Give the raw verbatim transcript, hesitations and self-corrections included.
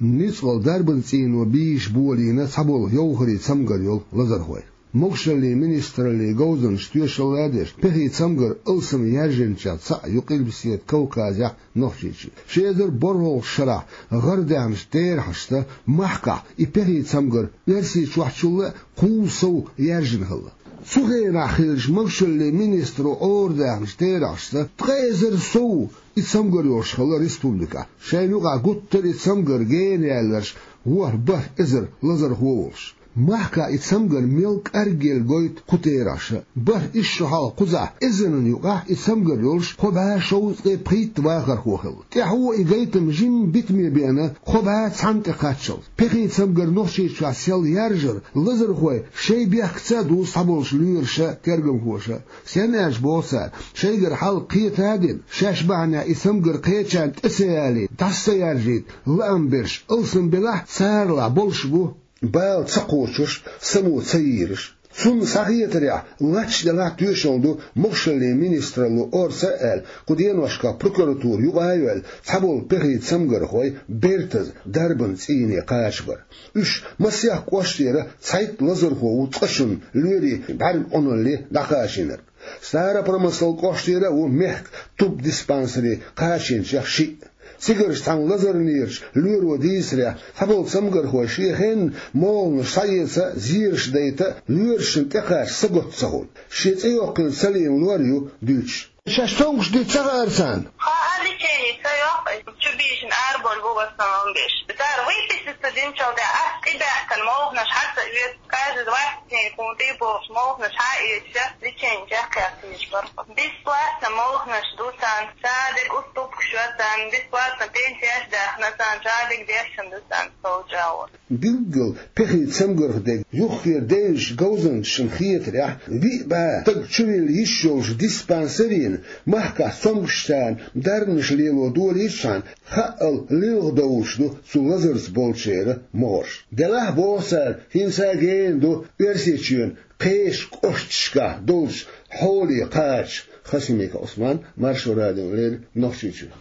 Ницкъала дарбан цӀийно бийша болийна цхьаболу йовхарийн цамгар йолу лазархой. Могушаллин министраллин говзанчаша тоьшалла а деш, пехи цамгар алсам яьржинчех цхьаъ ю Къилбаседа Кавказехь Нохчийчоь. Ши эзар борхӀалгӀачу шарахь гӀарадаьхначу терахьашца махкахь и пехи цамгар Оьрсийчохьчул а кхузткъа сов яьржина хилла. Цу хенахь хиллачу могушаллин министро гӀарадаьхначу терахьашца ткъа эзар сов и цамгар йолуш хилла республикехь. Шайна юкъахь гуттар а и цамгар гена яьлларш ворхӀ-бархӀ эзар лазархо волуш. Махкахь и цамгар мел кӀаргъелла гойту кху терахьаша. БархӀ исс шо хьалха кхузахь эзарна юкъахь и цамгар йолуш кхо бӀе шовзткъе пхийтта вахархо хилла. ТӀаьхьо и гайтам жимма битаме беана кхо бӀе цхьанна тӀекхаччалц. Пехи цамгар Нохчийчохь сел яржар лазархой шайн бехкаца а ду цхьаболчу лоьраша, тергамхоша. Стенна аьлча боху цара, шайгара хьал кхета а дина, шаьш бахьанехь и цамгар кхечарна тӀе ца ялийта, дӀаса ца яржийта лаам берш алсам белахь, царалахь болуш бу бала ца кхочуш, само ца йийраш. Цунна схьахетарехь, лач делахь тоьшалла ду могушаллин министралло орца а аьлла, кху деношкахь прокуратура юкъа а йоьлла, цхьаболу пехи цамгархой бертаза дарбан цӀийне кхачабар. Уьш масех кӀоштера цхьайтта лазархо ву цкъа шуна лоьрийн бӀаьрг Ӏуналле дӀакхачийнарг. Старопромыслан кӀоштера а ву мехкан тубдиспансере кхачийначех шиъ. Цигарчу цхьана лазарнерачу лоьро дийцарехь, цхьаболу цамгархой шен хенна молханаш схьаэца а, зераш дайта а, лоьрашна тӀекхача сагатта ца хуьлу. Шен цӀе йоккхийла ца лийна лор ю дуьйцуш. Шаьш цомгуш дийца ца хаьара царна. Хаа, лечение ца йоккху, чу бийшина араболу бу в основном беш. Цара выписаться динчул тӀаьхьа ас тӀебаьхкина молханаш хьа ца оьцу, каждый двадцать дней хӀун тӀе бохуш молханаш хьа а оьцуш, лечение чекхъяхкийча бархӀо. Бесплатно молханаш ду царна, шадерг уступкаш йо царна, бесплатно пенсеш даьхна царна, шадерг дешна ду царна, сол чӀагӀо. Билггал пехи цамгарх дерг юххера девзачу говзанчашна хетарехь, виъ бӀе стаг чувилла йиш йолчу диспансерина махкахь цомгушчарна дарбанаш лело долийчхьана, хаъал лилха довлуш ду цу лазарца болчеран могӀарш. Делахь, боху цара, хӀинца а гена ду Оьрсийчоьнан кхечу кӀошташкахь долчу хьоле кхача. Хасимиков Ӏусман, Маршо радиона леррина, Нохчийчуьра.